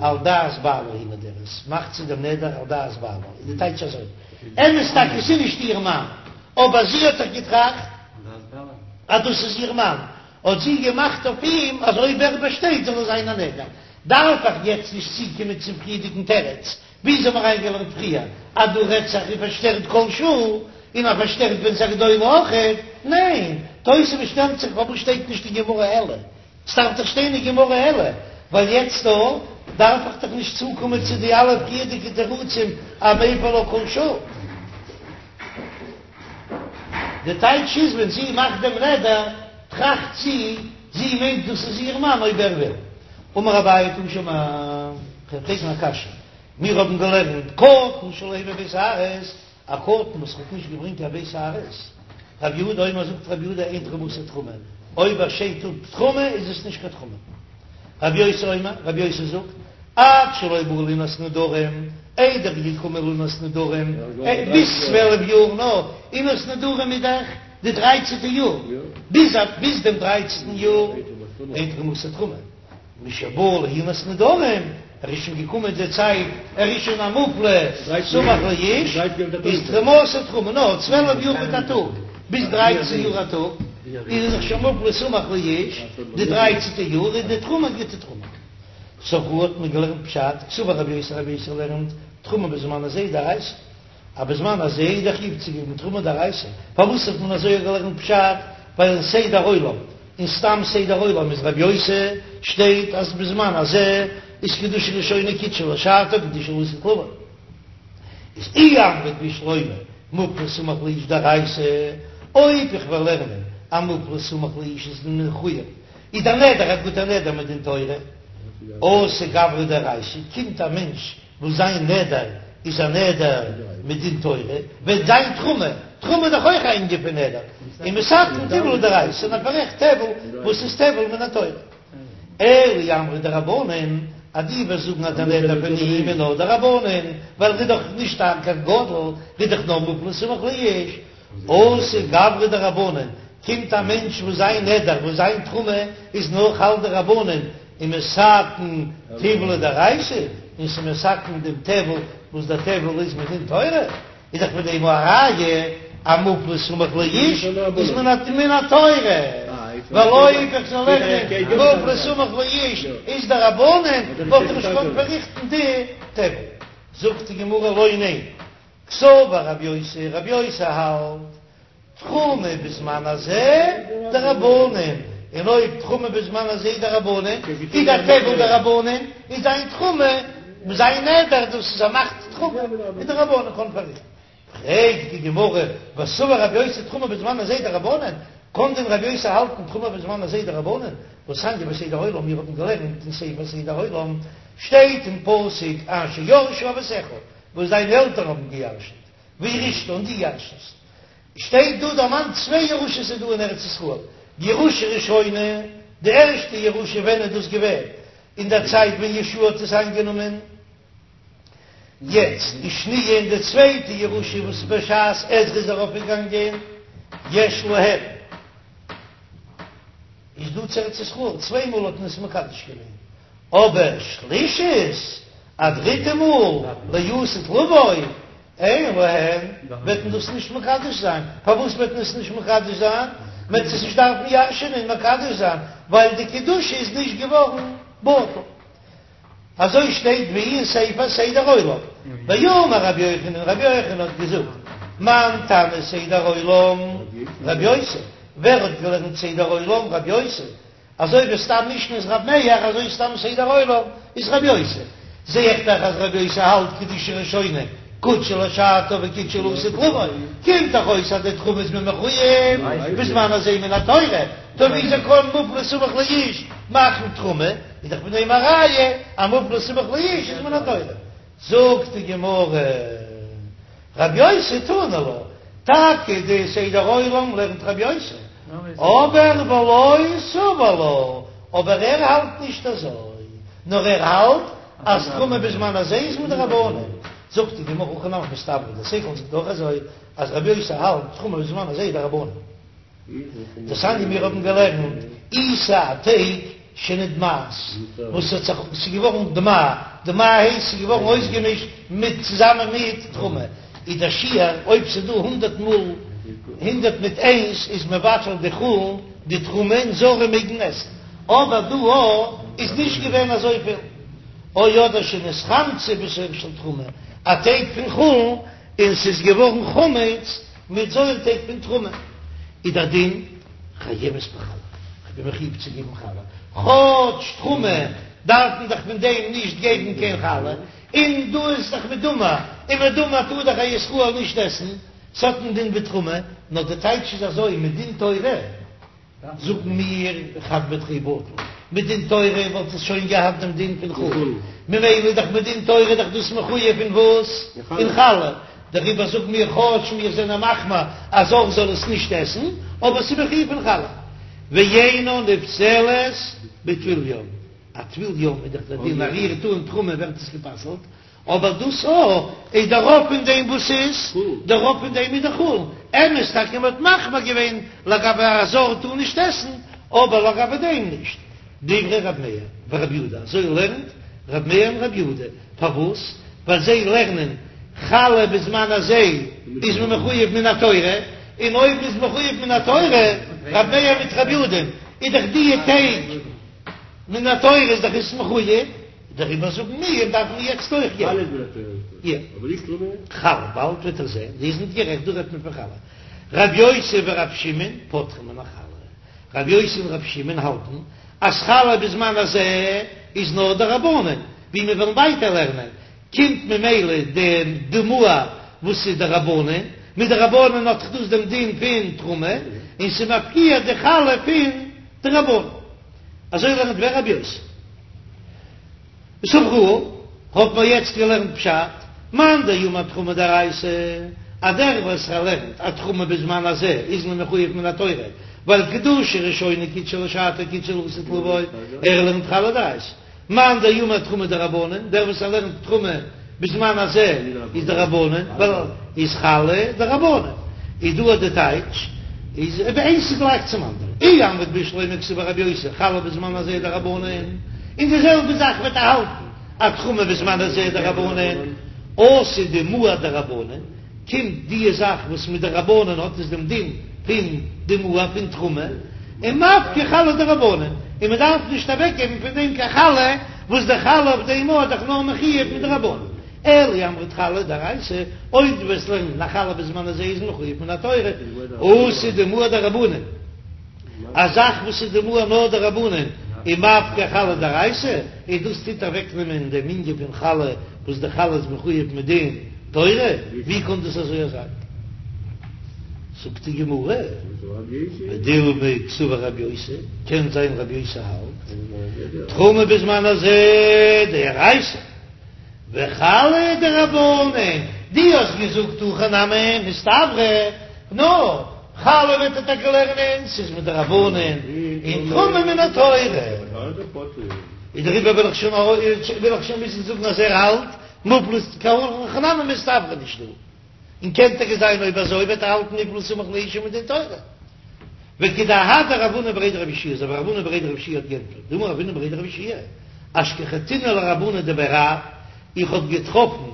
על דעת בעלה היא נודרת, מאכט זי דעם נדר על דעת בעלה, איז די טייטש אזוי, אמת טאקע ס'איז נישט איר מאן, אבער זי האט דאך געטראכט אז דאס איז איר מאן, האט זי געמאכט אויף אים אז אויב ער באשטייט זאל עס זיין א נדר, דארף איך יעצט נישט צוקומען צום פריערדיגן תירוץ, וויאזוי האבן מיר אריינגעלערנט פריער אז דא רעדט זיך ער פארשטערט כל שעה און ער פארשטערט ווען ס'איז א גדולה אויכעט? ניין, תוספות שטעלט זיך פארוואס שטייט נישט אין גמרא אלא? ס'דארף דאך שטיין אין גמרא אלא, ווייל יעצט דא דארף איך דאך נישט צוקומען צו די אלע פריערדיגע תירוצים אז מפר לה כל שעה. די טייטש איז ווען זי מאכט דעם נדר טראכט זי, זי מיינט דאס איז איר מאן אויב ער וויל. אמר אביי תא שמע, כ'וועל פרעגן א קשיא, מיר האבן געלערנט קטן שלא הביא ב' שערות, א קטן וואס האט נישט געברענגט קיין ב' שערות, רב יהודה אומר זאגט רב יהודה אין תרומתו תרומה, אויב ער שיידט אפ תרומה איז עס נישט קיין תרומה. רב יוסי אומר, רב יוסי זאגט, עד שלא בא לעונת נדרים, איידער ער איז געקומען לעונת נדרים, ביז צוועלף יאר, נאר עונת נדרים איז דאך די דרייצענטע יאר, ביז ביז דעם דרייצענטן יאר, אין תרומתו תרומה, משבא לעונת נדרים, ער איז שוין געקומען די צייט, ער איז שוין א מופלא סמוך לאיש, איז תרומתו תרומה, נאר צוועלף יאר מיט א טאג, ביז דרייצן יאר א טאג, איז ער דאך שוין מופלא סמוך לאיש, די דרייצנטע יאר איז די תרומה גוטע תרומה. סברוה האט מען געלערנט פשט, קסבר רבי יוסי רבי יוסי לערנט תרומה בזמן הזה דאורייתא, אז בזמן הזה איז דער חיוב צו געבן תרומה דאורייתא, פארוואס האט מען אזוי געלערנט פשט, ווייל אין סדר עולם, אין סתם סדר עולם איז רבי יוסי שטייט אז בזמן הזה איז קדושה ראשונה קידשה לשעתה קדושה לעתיד לבוא. איז אי אמרת בשלמא מופלא סמוך לאיש דאורייתא, אויב איך וועל לערנען אז מופלא סמוך לאיש איז מחויב, איז דער נדר א גוטער נדר מדין תורה, אתי גברא דאורייתא, קומט א מענטש וואס זיין נדר איז א נדר מדין תורה, וועט זיין תרומה, תרומה איז דאך אויך א ענין פון נדר, ומתקן טבול דאורייתא, און ער פאררעכט טבל וואס איז טבל מן התורה. אלא אי אמרת דרבנן, אז דו וועסט זאגן אז דער נדר פון אים איז נאר דרבנן, ווייל ער איז דאך נישט קיין גדול, ער איז דאך נאר מופלא סמוך לאיש, אתי גברא דרבנן, קומט א מענטש וואס זיין נדר, וואס זיין תרומה איז נאר חל דרבנן, ומתקן טבלא דאורייתא, און ס'איז מתקן דעם טבל וואס דער טבל איז מדין תורה, איז דאך פון דעם א ראיה אז מופלא סמוך לאיש איז מן התורה, ווייל אויב איך זאל לערנען מופלא סמוך לאיש איז דרבנן, וואלט איך נישט געקאנט פארריכטן די טבל. זאגט די גמרא לא ניין, קסבר רב יוסי, רב יוסי האלט תרומה בזמן הזה דרבנן, און אויב תרומה בזמן הזה דרבנן, איז דער טבל דרבנן, איז זיין תרומה, זיין נדר דאס איז ער מאכט תרומה, איז דרבנן קאן פארריכטן. פרעגט די גמרא, וסבר רב יוסי תרומה בזמן הזה דרבנן, קאן דען רב יוסי האלטן תרומה בזמן הזה דרבנן, והתניא בסדר עולם, מיר האבן געלערנט אין ספר סדר עולם, שטייט אין פסוק אשר ירשו אבותיך, וואס דיינע עלטערן האבן געירשנט, וירשתה און דו ירשנסט. שטייט דא דערמאנט צוויי ירושות איז דא אין ארץ ישראל, ירושה ראשונה, די ערשטע ירושה ווען איז דאס געווען? אין דער צייט ווען יהושע האט עס איינגענומען, יעצט ושניה און די צווייטע ירושה וואס בשעת עזרא איז ארויפגעגאנגען, יש להם. איז דא צו ארץ ישראל, צוויי מאל האט מען עס מקדש געווען, אבער שלישית, א דריטע מאל, לעתיד לבוא, אין להן, וועט מען דאס נישט מקדש זיין, פארוואס וועט מען עס נישט מקדש זיין? מען וועט עס נישט דארפן ירש'ענען און מקדש זיין, ווייל די קדושה איז נישט געווארן בטל. אזוי שטייט ווי אין ספר סדר עולם, ואמר רבי יוחנן, רבי יוחנן האט געזאגט, מאן תנא סדר עולם, רבי יוסי, ווער האט געלערנט סדר עולם, רבי יוסי, אזוי ווי סתם משנה איז רבי מאיר, אזוי סתם סדר עולם איז רבי יוסי, זע איך דאך אז רבי יוסי האלט קדושה ראשונה קדשה לשעתה וקדשה לעתיד לבוא, קומט דאך אויס אז די תרומה איז מען מחויב בזמן הזה מן התורה, טא וויאזוי קען מופלא סמוך לאיש מאכן תרומה, איז דאך פון דעם א ראיה אז מופלא סמוך לאיש איז מן התורה. זאגט די גמרא, רב יוסי תני לה, טאקע די סדר עולם לערנט רב יוסי, אבער ולא סבר לה, אבער ער האלט נישט אזוי, נאר ער האלט אז תרומה בזמן הזה איז מדרבנן, זאגט די גמרא הכי נמי מסתברא, דער שכל זאגט אויך אזוי, אז רב יוסי האלט תרומה בזמן הזה איז דרבנן. דתניא מיר האבן געלערנט עיסה א טייג שנדמעת וואס האט זיך ס'איז געווארן דמעה, דמעה הייסט ס'איז געווארן אויסגעמישט מיט צוזאמען מיט תרומה, איז דער שיעור אויב ס'איז דא הונדערט מאל הונדערט מיט איינס איז מבטל די חולין די תרומה און זרים מעגן עסן, אבער דא איז נישט געווען אזויפיל, או אדער שנתחמצה בשאור של תרומה, א טייג פון חולין און ס'איז געווארן חמץ מיט זויערטייג פון תרומה, איז דער דין חייבת בחלה, כ'בין מחויב צו געבן חלה, כאטש תרומה דארף מען דאך פון דעם נישט געבן קיין חלה, און דא איז דאך מדומע, און מדומע טאר דאך א ישראל נישט עסן, ס'האט א דין ווי תרומה, נאר די טייטש איז אזוי, מדין תורה. זאגן מיר חד בתרי בטל, מדין תורה וואלט עס שוין געהאט דעם דין פון חולין, ממילא איז דאך מדין תורה דאך דאס מחויב אין וואס? אין חלה, דעריבער זאגן מיר כאטש מיר זענען מחמיר א זר זאל עס נישט עסן, אבער ס'איז מחויב אין חלה. ואינה נפסלת בטבול יום, א טבול יום איז דאך דער דין אז רירט אן תרומה ווערט עס גע'פסל'ט, אבער דאס א איז דער רוב פון דעם וואס איז דער רוב פון דעם איז דאך חולין, אמת טאקע מען האט מחמיר געווען לגבי א זר טאר נישט עסן, אבער לגבי דעם נישט. דברי ר' מאיר ור' יהודה, אזוי לערנט ר' מאיר און ר' יהודה, פארוואס? ווייל זיי לערנען חלה בזמן הזה איז מען מחויב מן התורה, און אויב מ'איז מחויב מן התורה, ר' מאיר מיט ר' יהודה, איז דאך די טייג מן התורה איז דאך עס מחויב. דעריבער זאגן מיר דארף מען יעצט אויך געבן. יא. חלה, באלד וועט איר זען, איר זענט גערעכט, דא רעדט מען פון חלה. רב יוסי ורב שמעון פוטרין מן החלה. רב יוסי און רב שמעון האלטן אז חלה בזמן הזה איז נאר דרבנן, ווי מיר וועלן ווייטער לערנען, קומט ממילא די דמוע וואס איז דרבנן, מדרבנן האט דאך דאס דעם דין פון תרומה, און ס'מפקיע די חלה פון דרבנן. אזוי לערנט ווער? רב יוסי. סברוה, האט מען יעצט געלערנט פשט, מאן דאמר תרומה דאורייתא, אז דער וואס ער לערנט אז תרומה בזמן הזה איז מען מחויב מן התורה, ווייל קדושה ראשונה קדשה לשעתה קדשה לעתיד לבוא, ער לערנט חלה דאורייתא. מאן דאמר תרומה דרבנן, דער וואס ער לערנט תרומה בזמן הזה איז דרבנן, ווייל איז חלה דרבנן, איז דא די טייטש איז אויב איינס איז גלייך צום אנדערן, אי אמרת בשלמא קסבר רבי יוסי חלה בזמן הזה דרבנן, און די זעלבע זאך וועט ער האלטן אז תרומה בזמן הזה דרבנן, אתי דמוע דרבנן. קומט די זאך וואס מדרבנן האט עס דעם דין פון דמוע פון תרומה, און מפקיר חלה דרבנן, און מען דארף נישט אוועק געבן פון דעם קיין חלה, וואס די חלה אויף דעם איז דאך נאר מחויב מדרבנן, אלא אי אמרת חלה דאורייתא, אויב דו וועסט לערנען אז חלה בזמן הזה איז מחויב מן התורה, אתי דמוע דרבנן. א זאך וואס איז דמוע נאר דרבנן און מפקיר חלה דאורייתא, און דאס טוט אוועקנעמען דעם ענין פון חלה וואס די חלה איז מחויב מדין תורה, ווי קען דאס אזוי זיין? זאגט די גמרא, ודילמא קסבר רבי יוסי, קען זיין רבי יוסי האלט תרומה בזמן הזה דאורייתא. וחלה דרבנן, דו האסט געזאגט הכי נמי מסתברא, נו, חלה וועט ער טאקע לערנען, ס'איז מדרבנן, און תרומה מן התורה. איז דעריבער וויל איך שוין וויל איך שוין מוזן זאגן אז ער האלט מופלא קיין הכי נמי מסתברא נישט דא, און קען טאקע זיין אויב אזוי וועט ער האלטן מופלא סמוך לאשה מדין תורה. וכדאהדיה רב הונא בריה דרב יהושע, אזוי ווי רב הונא בריה דרב יהושע האט געענטפערט, דאמר רב הונא בריה דרב יהושע, אשכחתינהו לרבנן דבי רב, איך האב געטראפן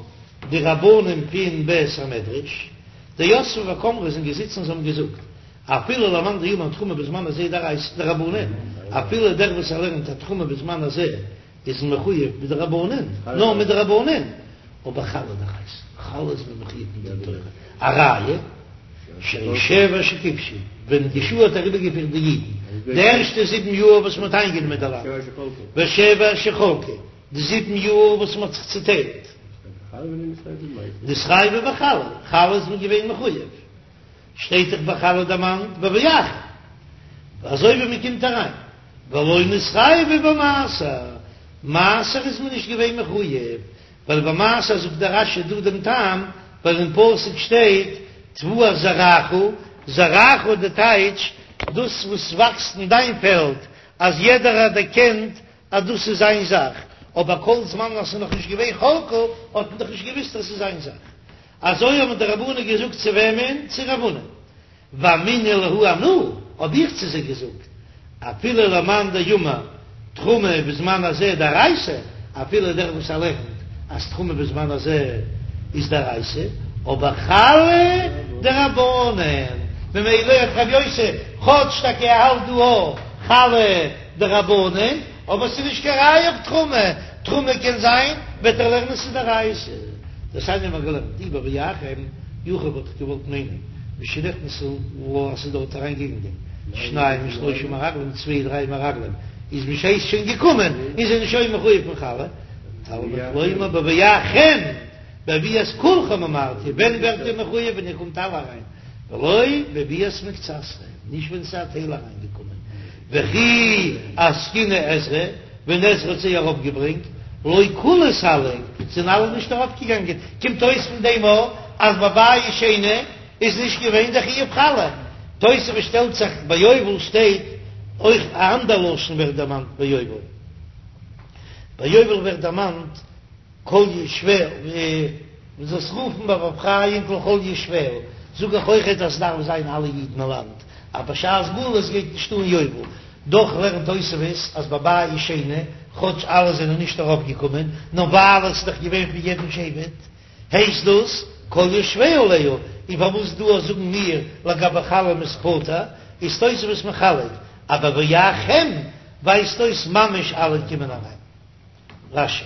די רבנים פון בית המדרש, דיתבי וקאמרי זענען געזיצן און זיי האבן געזאגט, אפילו למאן דאמר תרומה בזמן הזה דאורייתא דרבנן, אפילו דער וואס ער לערנט אז תרומה בזמן הזה איז מחויב מדרבנן, נאר מדרבנן, אבער חלה דאורייתא, חלה איז מען מחויב מדין תורה, א ראיה, שהרי שבע שכבשו, ווען יהושע האט אריבערגעפירט די אידן, די ערשטע זיבן יאר וואס מען האט איינגענומען די לאנד, ושבע שחלקו, די זיבן יאר וואס מען האט זיך צוטיילט, נתחייבו בחלה, חלה איז מען געווען מחויב, שטייט דאך ביי חלה דערמאנט בבואכם, אזוי ווי מען קומט אריין, ולא נתחייבו במעשר, מעשר איז מען נישט געווען מחויב, ווייל ביי מעשר זאגט דער רש"י דא דעם טעם, ווייל אין פסוק שטייט תבואת זרעך, זרעך איז די טייטש דאס וואס וואקסט אין דיין פעלד, אז יעדער האט דערקענט אז דאס איז זיין זאך, אבער כל זמן אז ס'איז נאך נישט געווען חלקו האט מען דאך נישט געוויסט אז ס'איז זיין זאך. אזוי האבן די רבנן געזאגט צו וועמען? צו רב הונא. ואמינא להו אנא, האב איך צו זיי געזאגט, אפילו למאן דאמר תרומה בזמן הזה דאורייתא, אפילו דער וואס ער לערנט אז תרומה בזמן הזה איז דאורייתא, אבער חלה דרבנן, ממילא האט רבי יוסי, כאטש טאקע ער האלט דא אויך חלה דרבנן, אבער ס'איז נישט קיין ראיה אויף תרומה, תרומה קען זיין וועט ער לערנען ס'איז דאורייתא. דתניא האבן מיר געלערנט אי בבואכם, יכול וואלט איך געוואלט מיינען משנכנסו לה אז ס'איז דארט אריין געגאנגען שניים ושלושה מרגלים צוויי דריי מרגלים איז בשעת שוין געקומען און זענען שוין מחויב פון חלה, תלמוד לומר בבואכם בביאת כולכם אמרתי, ווען ווערט איר מחויב ווען איר קומט אלע אריין, ולא בביאת מקצתכם, נישט ווען ס'איז א טייל אריינגעקומען. וכי אסקינהו עזרא, ווען עזרא האט זיי ארויפגעברענגט, לא כולהו סלקי, זענען אלע נישט ארויפגעגאנגען, קומט אויס פון דעם אויך אז ביי בית שני איז נישט געווען דער חיוב חלה. תוספות שטעלט זיך, ביי יובל שטייט אויך א אנדער לשון ווערט דערמאנט ביי יובל, ביי יובל ווערט דערמאנט כל יושביה, מען זאל עס רופן בבא אפרים לכל יושביה, זאג איך אויכעט אז ס'דארף זיין אלע אידן אין לאנד, אז בשעת גלות גייט נישט אן יובל, דאך לערנט תוספות אז ביי בית שני, כאטש אלע זענען נישט ארויף געקומען, נאר ווייל עס איז דאך געווען פון יעדן שבט, הייסט דאס כל יושביה עליה, און פארוואס דא זאגן מיר לגבי חלה מ'איז פטור, איז תוספות מחלק, אז בבואכם ווייזט אויס ממש אלע קומען אריין. רש"י.